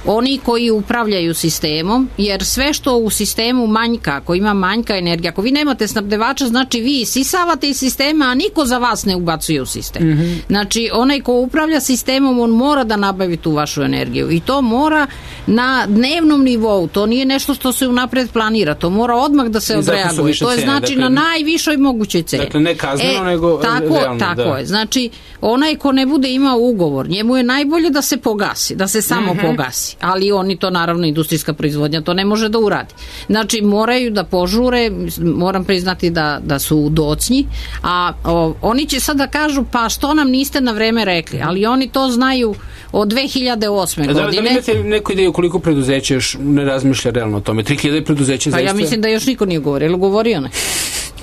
oni koji upravljaju sistemom, jer sve što u sistemu manjka, ako ima manjka energija, ako vi nemate snabdevača, znači vi isisavate iz sistema, a niko za vas ne ubacuje u sistem. Mm-hmm. Znači, onaj ko upravlja sistemom, on mora da nabavi tu vašu energiju i to mora na dnevnom nivou, to nije nešto što se unapred planira, to mora odmah da se odreaguje. To je znači cene, na najvišoj mogućoj ceni. Dakle, ne kazneno, e, nego tako, realno. Tako da. je. Znači, onaj ko ne bude imao ugovor, njemu je najbolje da se pogasi, da se samo mm-hmm. pogasi. Ali oni to, naravno, industrijska proizvodnja to ne može da uradi. Znači, moraju da požure, moram priznati da, da su docnji, a o, oni će sad da kažu, pa što nam niste na vreme rekli, ali oni to znaju od dve hiljade osme. Da, godine. Da li imate neku ideju koliko preduzeća još ne razmišlja realno o tome? tri hiljade preduzeća pa zaista? Ja mislim da još niko nije govorio. Je li ugovorio ne?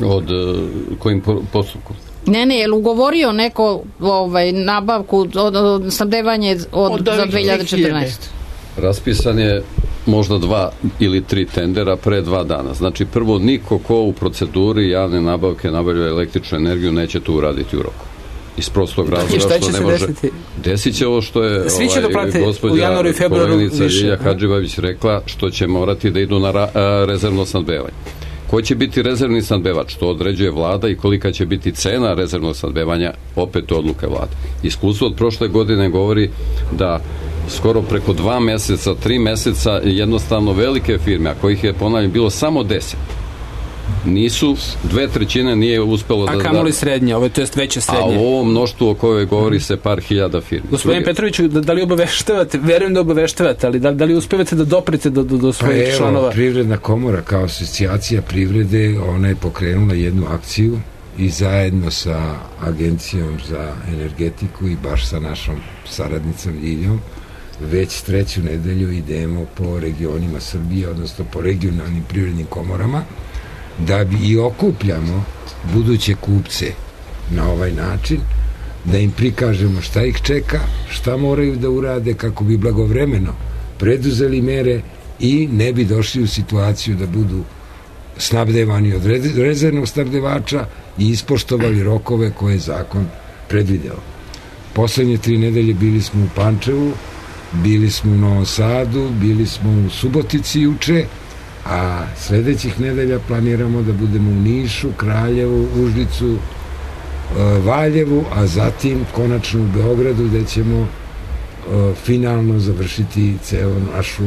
Od uh, kojim postupkom? Ne, ne, je li ugovorio neko ovaj, nabavku, od, od, snabdevanje od, od za dve hiljade četrnaeste. Raspisan je možda dva ili tri tendera pre dva dana. Znači, prvo, niko ko u proceduri javne nabavke nabavlja električnu energiju neće to uraditi u roku. Iz prostog razloga što ne može desiti? Desit će ovo što je ovaj, gospođa koleginica Ljilja Hadžibavić rekla, što će morati da idu na ra, a, rezervno snabdevanje. Ko će biti rezervni snabdevač? To određuje vlada i kolika će biti cena rezervnog snabdevanja, opet odluke vlade. Iskustvo od prošle godine govori da skoro preko dva meseca, tri meseca jednostavno velike firme, a kojih je, ponavljam, bilo samo deset, Nisu, dve trećine nije uspelo da... A kamo li srednje, ovo je to jest veće srednje? A u ovom mnoštvu o kojoj govori se par hiljada firmi. Gospodin Petroviću, da, da li obaveštavate, verujem da obaveštavate, ali da, da li uspevate da doprete do, do, do svojih pa evo, članova? Privredna komora kao asocijacija privrede, ona je pokrenula jednu akciju i zajedno sa Agencijom za energetiku i baš sa našom saradnicom Ljiljom već treću nedelju idemo po regionima Srbije, odnosno po regionalnim privrednim komorama, da bi i okupljamo buduće kupce na ovaj način, da im prikažemo šta ih čeka, šta moraju da urade kako bi blagovremeno preduzeli mere i ne bi došli u situaciju da budu snabdevani od rezervnog snabdevača i ispoštovali rokove koje je zakon predvideo. Poslednje tri nedelje bili smo u Pančevu, bili smo u Novom Sadu, bili smo u Subotici juče, a sledećih nedelja planiramo da budemo u Nišu, Kraljevu, Užicu, Valjevu, a zatim konačno u Beogradu, gde ćemo finalno završiti ceo našu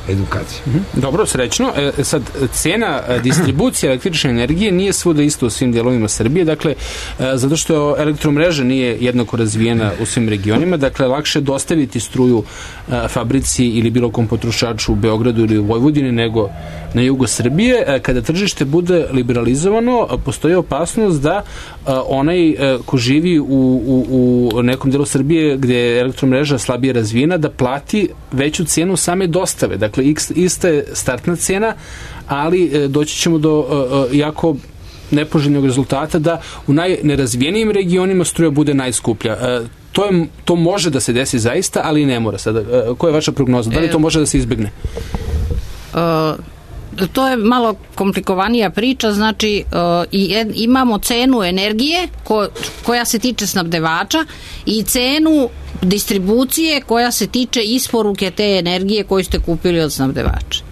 edukaciju. Dobro, srećno. E, sad, cena distribucije električne energije nije svuda isto u svim delovima Srbije, dakle, e, zato što elektromreža nije jednako razvijena u svim regionima, dakle, lakše dostaviti struju e, fabrici ili bilo kom potrošaču u Beogradu ili u Vojvodini nego na jugu Srbije. E, kada tržište bude liberalizovano, postoji opasnost da e, onaj e, ko živi u, u, u nekom delu Srbije gde je elektromreža slabije razvijena, da plati veću cenu same dostave. Dakle, Dakle, ista je startna cena, ali e, doći ćemo do e, jako nepoželjnog rezultata da u najnerazvijenijim regionima struja bude najskuplja. E, to, je, to može da se desi zaista, ali i ne mora sada. E, koja je vaša prognoza? Da li to može da se izbegne? Uh, to je malo komplikovanija priča, znači uh, i, imamo cenu energije ko, koja se tiče snabdevača i cenu distribucije koja se tiče isporuke te energije koju ste kupili od snabdevača.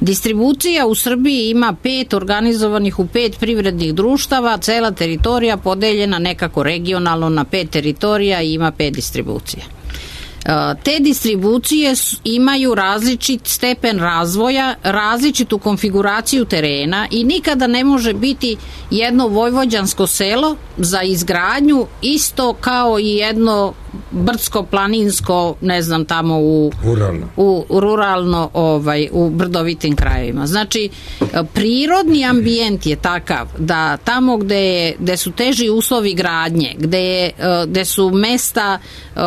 Distribucija u Srbiji ima pet organizovanih u pet privrednih društava, cela teritorija podeljena nekako regionalno na pet teritorija i ima pet distribucija. Te distribucije imaju različit stepen razvoja, različitu konfiguraciju terena i nikada ne može biti jedno vojvođansko selo za izgradnju isto kao i jedno brdsko-planinsko, ne znam, tamo u ruralno, u, ruralno ovaj, u brdovitim krajevima. Znači, prirodni ambijent je takav da tamo gde, je, gde su teži uslovi gradnje, gde, je, gde su mesta uh,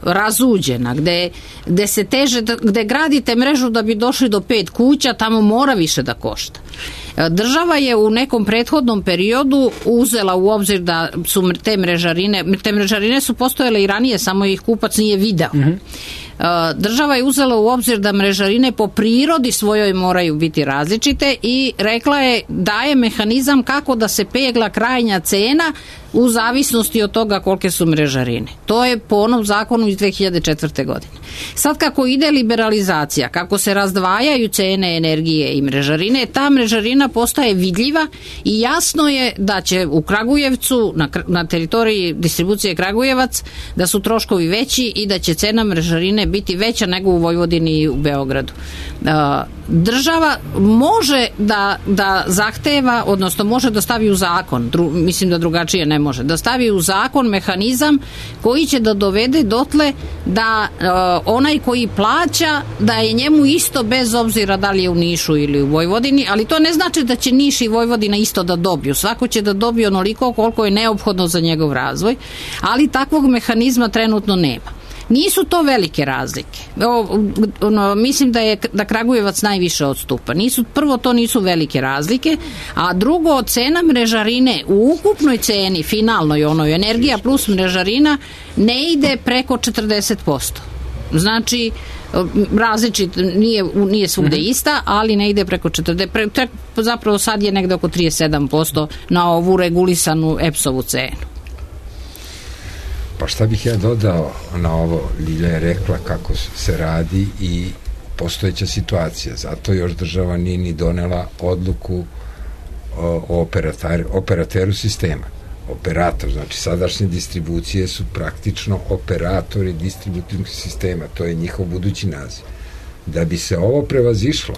razuđena, gde, gde se teže, gde gradite mrežu da bi došli do pet kuća, tamo mora više da košta. Država je u nekom prethodnom periodu uzela u obzir da su te mrežarine, te mrežarine su postojale i ranije, samo ih kupac nije video. Mm-hmm. Država je uzela u obzir da mrežarine po prirodi svojoj moraju biti različite i rekla je, daje mehanizam kako da se pegla krajnja cena u zavisnosti od toga kolike su mrežarine. To je po onom zakonu iz dve hiljade četvrte. godine. Sad kako ide liberalizacija, kako se razdvajaju cene energije i mrežarine, ta mrežarina postaje vidljiva i jasno je da će u Kragujevcu, na, na teritoriji distribucije Kragujevac, da su troškovi veći i da će cena mrežarine biti veća nego u Vojvodini i u Beogradu. Država može da, da zahteva, odnosno može da stavi u zakon, dru, mislim da drugačije ne može, da stavi u zakon mehanizam koji će da dovede dotle da uh, onaj koji plaća, da je njemu isto bez obzira da li je u Nišu ili u Vojvodini, ali to ne znači da će Niš i Vojvodina isto da dobiju. Svako će da dobije onoliko koliko je neophodno za njegov razvoj, ali takvog mehanizma trenutno nema. Nisu to velike razlike. O, ono, mislim da je da Kragujevac najviše odstupa. Nisu, prvo, to nisu velike razlike, a drugo, cena mrežarine u ukupnoj ceni, finalnoj onoj, energija plus mrežarina, ne ide preko četrdeset posto. Znači, različit, nije, nije svugde ista, ali ne ide preko četrdeset posto. Pre, zapravo sad je negde oko trideset sedam posto na ovu regulisanu E P S-ovu cenu. Pa šta bih ja dodao na ovo? Ljilja je rekla kako se radi i postojeća situacija. Zato još država nije ni donela odluku o, o operater, operateru sistema. Operator, znači sadašnje distribucije su praktično operatori distributivnog sistema. To je njihov budući naziv. Da bi se ovo prevazišlo,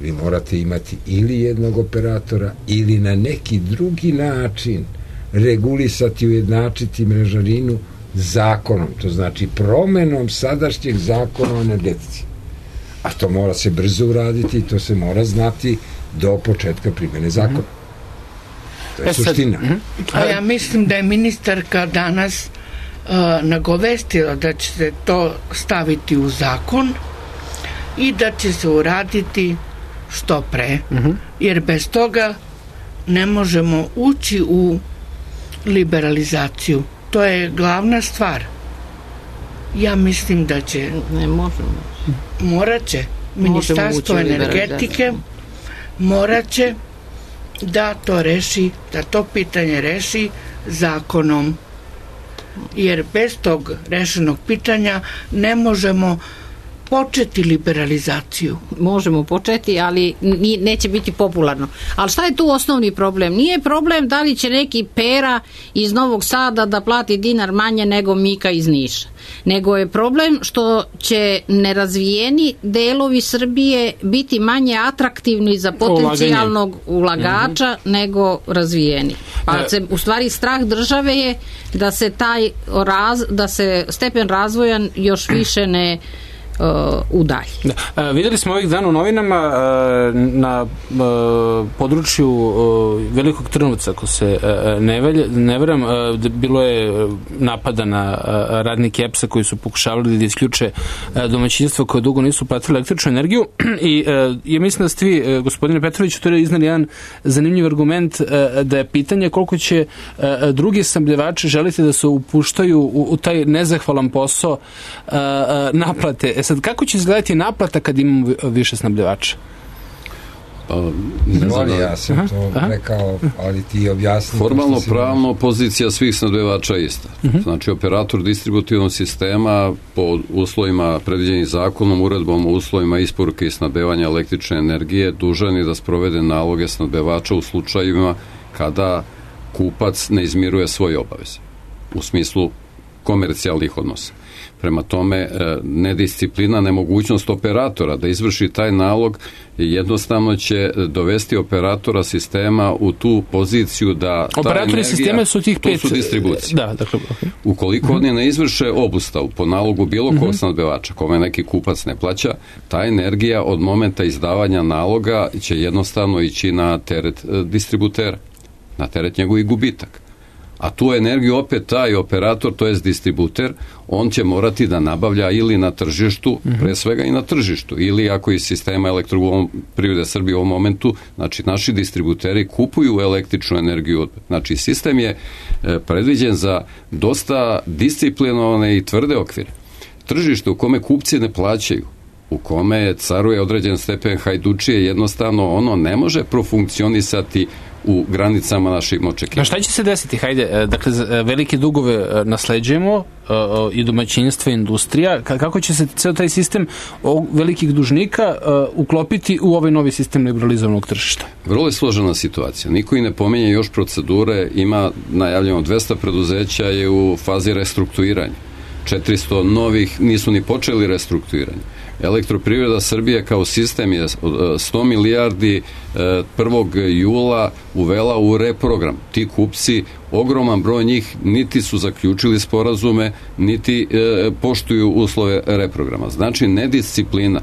Vi morate imati ili jednog operatora ili na neki drugi način regulisati, ujednačiti mrežarinu zakonom, to znači promenom sadašnjeg zakona o energetici. A to mora se brzo uraditi i to se mora znati do početka primjene zakona. To je suština. A ja mislim da je ministarka danas uh, nagovestila da će se to staviti u zakon i da će se uraditi što pre, jer bez toga ne možemo ući u liberalizaciju. To je glavna stvar. Ja mislim da će... Ne možemo. Morat će. Ministarstvo energetike morat će da to reši, da to pitanje reši zakonom. Jer bez tog rešenog pitanja ne možemo početi liberalizaciju. Možemo početi, ali neće biti popularno. Ali šta je tu osnovni problem? Nije problem da li će neki Pera iz Novog Sada da plati dinar manje nego Mika iz Niša. Nego je problem što će nerazvijeni delovi Srbije biti manje atraktivni za potencijalnog ulagača mm-hmm. nego razvijeni. Pa se, u stvari strah države je da se taj raz, da se stepen razvoja još više ne Uh, udalji. Da. Uh, videli smo ovih dana u novinama uh, na uh, području uh, Velikog Trnovca, ako se uh, ne, velj, ne veram, uh, bilo je napada na uh, radnike E P S-a koji su pokušavali da isključe uh, domaćinstva koje dugo nisu platili električnu energiju i uh, ja mislim da ste vi, uh, gospodine Petrović, to je iznali jedan zanimljiv argument uh, da je pitanje koliko će uh, drugi snabdevači želiti da se upuštaju u, u taj nezahvalan posao uh, uh, naplate. E sad, kako će izgledati naplata kad imamo više snabdevača? Pa, ne znam, ja sam aha, to aha. rekao, ali ti objasni. Formalno pravno pozicija svih snabdevača je ista. Uh-huh. Znači, operator distributivnog sistema po uslovima predviđenih zakonom, uredbom o uslovima isporuke i snabdevanja električne energije dužan je da sprovede naloge snabdevača u slučajevima kada kupac ne izmiruje svoje obaveze u smislu komercijalnih odnosa. Prema tome, nedisciplina, nemogućnost operatora da izvrši taj nalog jednostavno će dovesti operatora sistema u tu poziciju da ta operatori energija, sistema su tih pet... to su distribucije. Da, dakle, okay. Ukoliko uh-huh. oni ne izvrše obustavu po nalogu bilo kog uh-huh. snabdevača, kome neki kupac ne plaća, ta energija od momenta izdavanja naloga će jednostavno ići na teret distributera, na teret njegovih gubitak. A tu energiju opet taj operator, to jest distributer, on će morati da nabavlja ili na tržištu, mm-hmm. pre svega i na tržištu, ili ako iz sistema Elektroprivrede Srbije u ovom momentu, znači naši distributeri kupuju električnu energiju. Znači sistem je predviđen za dosta disciplinovane i tvrde okvire. Tržište u kome kupci ne plaćaju, u kome caruje određen stepen hajdučije, jednostavno ono ne može profunkcionisati u granicama naših očekivanja. Šta će se desiti? Hajde, dakle, velike dugove nasleđujemo i domaćinstva, industrija. Kako će se ceo taj sistem velikih dužnika uklopiti u ovaj novi sistem liberalizovanog tržišta? Vrlo je složena situacija. Niko i ne pominje još procedure. Ima najavljeno dvesta preduzeća je u fazi restrukturiranja. četiristo novih nisu ni počeli restrukturiranje. Elektroprivreda Srbije kao sistem je sto milijardi prvog jula uvela u reprogram. Ti kupci, ogroman broj njih, niti su zaključili sporazume, niti e, poštuju uslove reprograma. Znači, nedisciplina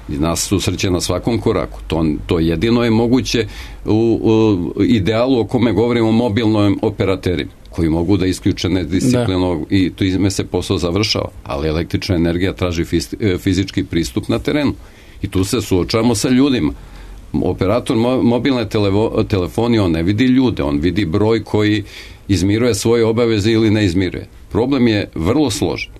nas susreće na svakom koraku. To, to jedino je moguće u, u idealu o kome govorimo o mobilnim operaterima, koji mogu da isključe nedisciplinovog i to izme se posao završava. Ali električna energija traži fizički pristup na terenu. I tu se suočavamo sa ljudima. Operator mobilne televo, telefonije, on ne vidi ljude, on vidi broj koji izmiruje svoje obaveze ili ne izmiruje. Problem je vrlo složen.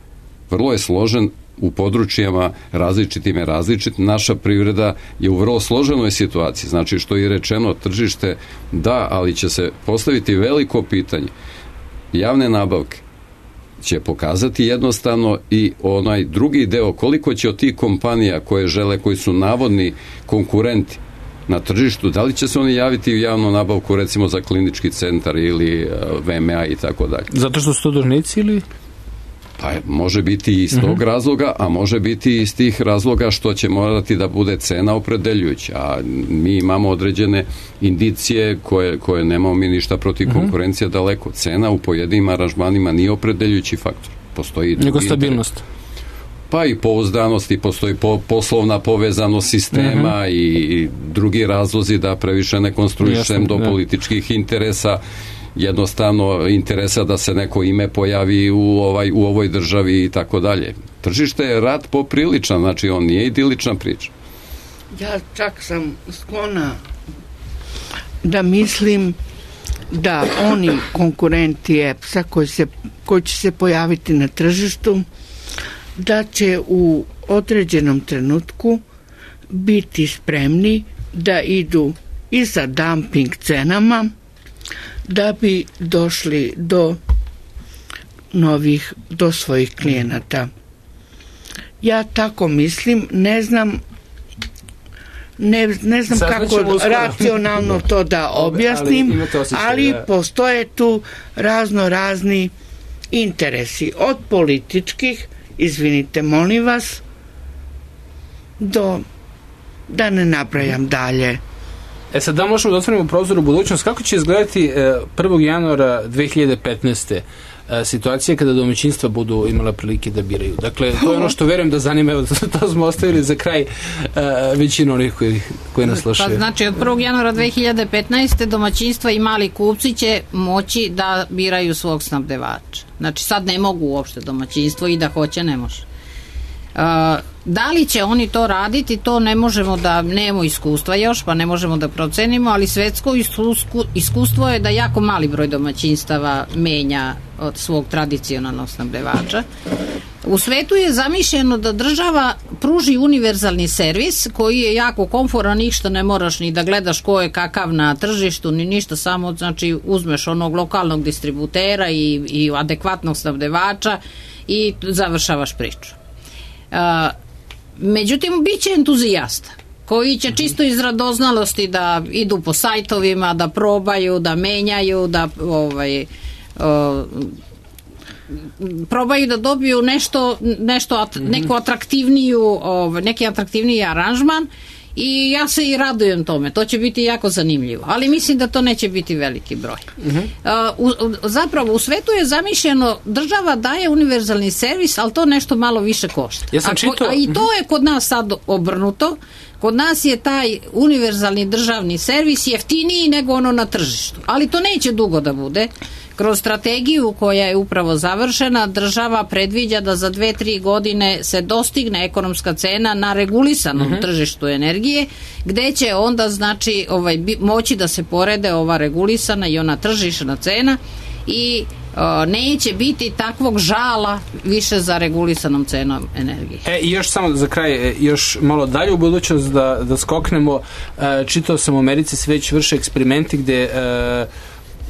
Vrlo je složen u područjima različitim je različit. Naša privreda je u vrlo složenoj situaciji. Znači, što je rečeno, tržište da, ali će se postaviti veliko pitanje. Javne nabavke će pokazati jednostavno i onaj drugi deo, koliko će od tih kompanija koje žele, koji su navodni konkurenti na tržištu, da li će se oni javiti u javnu nabavku, recimo za klinički centar ili V M A i tako dalje. Zato što su to dužnici ili... Pa može biti iz tog razloga, a može biti iz tih razloga što će morati da bude cena opredeljujuća. A mi imamo određene indicije koje, koje nemamo mi ništa protiv konkurencija daleko. Cena u pojedinim aranžmanima nije opredeljujući faktor. Postoji nego stabilnost. Pa i pouzdanost, i postoji po, poslovna povezanost sistema uh-huh. i drugi razlozi da previše ne konstruišem do da. političkih interesa, jednostavno interesa da se neko ime pojavi u, ovaj, u ovoj državi i tako dalje. Tržište je rad popriličan, znači on nije idilična priča. Ja čak sam sklona da mislim da oni konkurenti E P S-a koji, se, koji će se pojaviti na tržištu, da će u određenom trenutku biti spremni da idu i sa dumping cenama da bi došli do novih, do svojih klijenata. Ja tako mislim, ne znam ne, ne znam Sad kako racionalno to da objasnim, ali, osjećaj, ali da. Postoje tu razno razni interesi, od političkih, izvinite, molim vas, do, da ne nabrajam dalje. E sad, da možemo da otvorimo prozor u budućnost, kako će izgledati prvog januara dve hiljade petnaeste. situacije kada domaćinstva budu imala prilike da biraju? Dakle, to je ono što verujem da zanima, evo, to smo ostavili za kraj većinu onih koji, koji nas slušaju. Pa znači, od prvog januara dve hiljade petnaeste. domaćinstva i mali kupci će moći da biraju svog snabdevača. Znači, sad ne mogu uopšte domaćinstvo i da hoće, ne može. Uh, da li će oni to raditi, to ne možemo da, nemamo iskustva još, pa ne možemo da procenimo, ali svetsko iskustvo, iskustvo je da jako mali broj domaćinstava menja od svog tradicionalnog snabdevača. U svetu je zamišljeno da država pruži univerzalni servis koji je jako komforan, ništa ne moraš ni da gledaš ko je kakav na tržištu, ni ništa, samo znači uzmeš onog lokalnog distributera i, i adekvatnog snabdevača i završavaš priču. Uh, međutim, bit će entuzijasta koji će čisto iz radoznalosti da idu po sajtovima, da probaju, da menjaju, da ovaj, uh, probaju da dobiju nešto, nešto at, neku atraktivniju, ovaj, neki atraktivniji aranžman. I ja se i radujem tome, to će biti jako zanimljivo, ali mislim da to neće biti veliki broj. Uh-huh. Uh, u, zapravo u svetu je zamišljeno, država daje univerzalni servis, ali to nešto malo više košta. Ja sam a, čito... a i to je kod nas sad obrnuto. Kod nas je taj univerzalni državni servis jeftiniji nego ono na tržištu, ali to neće dugo da bude. Kroz strategiju koja je upravo završena, država predviđa da za dve, tri godine se dostigne ekonomska cena na regulisanom uh-huh. tržištu energije, gde će onda znači ovaj, moći da se porede ova regulisana i ona tržišna cena i o, neće biti takvog žala više za regulisanom cenom energije. E, i još samo za kraj, još malo dalje u budućnost da, da skoknemo. E, čitao sam u Americi se već vrše eksperimenti gde e,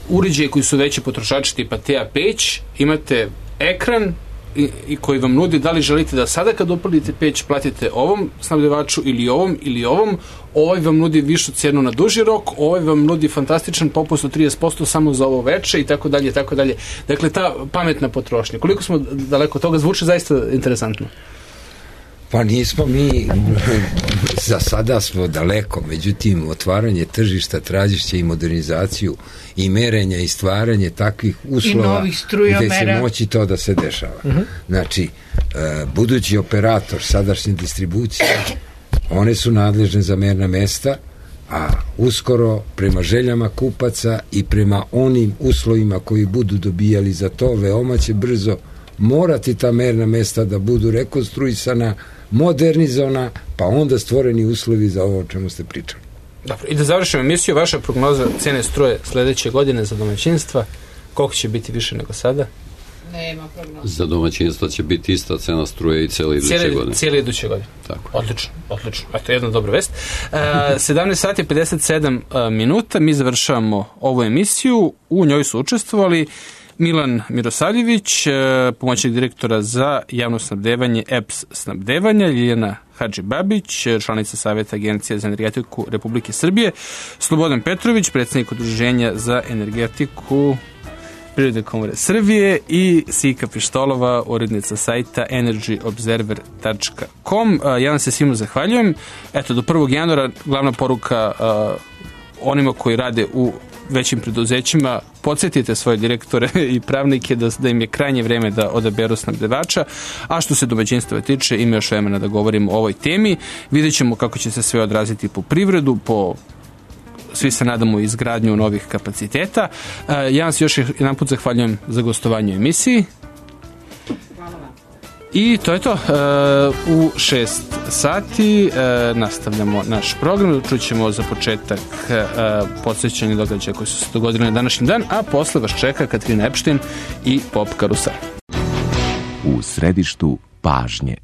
uređaje koji su veći potrošači tipa T A peć, imate ekran i, i koji vam nudi da li želite da sada kad upalite peć platite ovom snabdevaču ili ovom ili ovom, ovaj vam nudi višu cenu na duži rok, ovaj vam nudi fantastičan popust od trideset posto samo za ovo veče i tako dalje, tako dalje. Dakle, ta pametna potrošnja. Koliko smo daleko od toga, zvuči zaista interesantno. Pa nismo mi, za sada smo daleko, međutim otvaranje tržišta tražit će i modernizaciju i merenja i stvaranje takvih uslova gde će moći to da se dešava. Uh-huh. Znači, budući operator sadašnje distribucije, one su nadležne za merna mesta, a uskoro prema željama kupaca i prema onim uslovima koji budu dobijali za to, veoma će brzo morati ta merna mesta da budu rekonstruisana, modernizovana, pa onda stvoreni uslovi za ovo o čemu ste pričali. Dobro, i da završimo emisiju, vaša prognoza cene struje sledeće godine za domaćinstva, koliko će biti više nego sada? Nema prognoza. Za domaćinstva će biti ista cena struje i cijeli iduće cijeli, godine. Cijeli iduće godine. Tako. Odlično, odlično. Eto, jedna dobra vest. Uh, sedamnaest sati pedeset sedam uh, minuta, mi završavamo ovu emisiju, u njoj su učestvovali Milan Mirosavljević, pomoćnik direktora za javno snabdevanje E P S snabdevanja, Ljiljana Hadžibabić, članica Saveta Agencije za energetiku Republike Srbije, Slobodan Petrović, predsjednik Udruženja za energetiku Privredne komore Srbije i Sika Pištolova, urednica sajta energy observer tačka com. Ja vam se svima zahvaljujem. Eto, do prvog januara glavna poruka onima koji rade u većim preduzećima, podsjetite svoje direktore i pravnike da, da im je krajnje vreme da odaberu snabdevača, a što se domaćinstva tiče, ima još vremena da govorimo o ovoj temi. Vidjet ćemo kako će se sve odraziti po privredu, po svi se nadamo izgradnju novih kapaciteta. Ja vam se još jedan put zahvaljujem za gostovanje u emisiji. I to je to. U šest sati nastavljamo naš program. Čućemo za početak podsjećanje događaja koji su se dogodili na današnji dan, a posle vas čeka Katarina Epštin i Pop Karusel. U središtu pažnje.